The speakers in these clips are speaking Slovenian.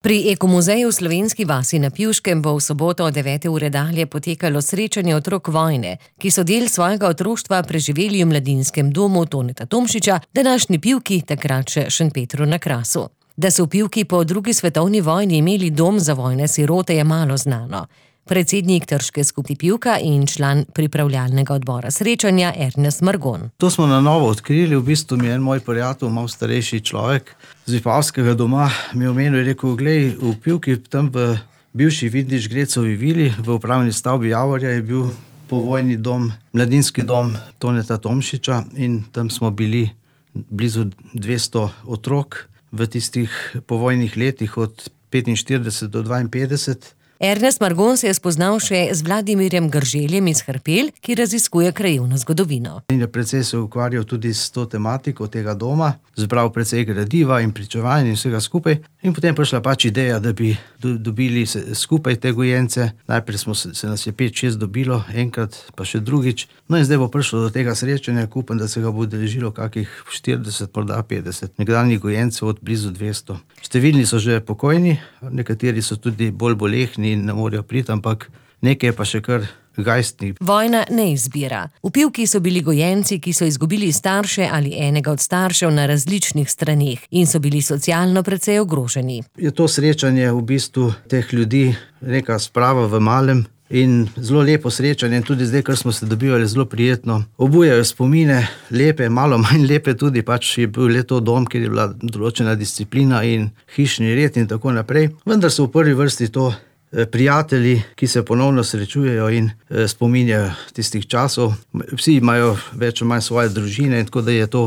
Pri Ekomuzeju v Slovenski vasi na Pivškem bo v soboto od 9. ure dalje potekalo srečanje otrok vojne, ki so del svojega otroštva preživeli v mladinskem domu Toneta Tomšiča, današnji Pivki, takrat še Šentpetru na Krasu. Da so v Pivki po drugi svetovni vojni imeli dom za vojne sirote, je malo znano. Predsednik Trške skupnosti Pivka in član pripravljalnega odbora srečanja Ernest Margon. To smo na novo odkrili, v bistvu mi je en moj prijatelj, malo starejši človek z Vipavskega doma, mi je omenil, rekel, glej, v Pivki, tam v bivši Vidiš Grecovi vili, v upravni stavbi Javorja je bil povojni dom, mladinski dom Toneta Tomšiča in tam smo bili blizu 200 otrok v tistih povojnih letih od 45 do 52. Ernest Margon se je spoznal še z Vladimirjem Grželjem iz Hrpelj, ki raziskuje krajevno zgodovino. In je precej se ukvarjal tudi s to tematiko tega doma, zbral precej gradiva in pričevanj in vsega skupaj. In potem prišla pač ideja, da bi dobili skupaj te gojence. Najprej se nas je 5-6 dobilo, enkrat pa še drugič. No in zdaj bo prišlo do tega srečanja, upam, da se ga bo udeležilo kakih 40, morda 50. Nekdanjih gojencev od blizu 200. Številni so že pokojni, nekateri so tudi bolj bolehni in ne morejo priti, ampak nekaj je pa še kar gajstni. Vojna ne izbira. V Pivki so bili gojenci, ki so izgubili starše ali enega od staršev na različnih straneh in so bili socialno precej ogroženi. Je to srečanje v bistvu teh ljudi neka sprava v malem in zelo lepo srečanje in tudi zdaj, kar smo se dobivali, zelo prijetno. Obujajo spomine, lepe, malo manj lepe tudi, pač je bil le to dom, kjer je bila določena disciplina in hišni red in tako naprej. Vendar so v prvi vrsti to prijatelji, ki se ponovno srečujejo in spominjajo tistih časov. Vsi imajo več ali manj svoje družine in tako da je to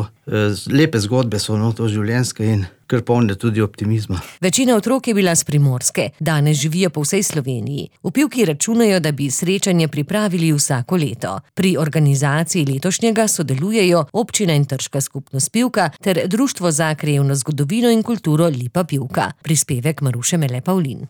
lepe zgodbe so, no, to življenjske in kar polne tudi optimizma. Večina otrok je bila s Primorske, danes živijo po vsej Sloveniji. V Pivki računajo, da bi srečanje pripravili vsako leto. Pri organizaciji letošnjega sodelujejo občina in Trška skupnost Pivka ter Društvo za krajevno zgodovino in kulturo Lipa Pivka. Prispevek Maruše Mele Pavlin.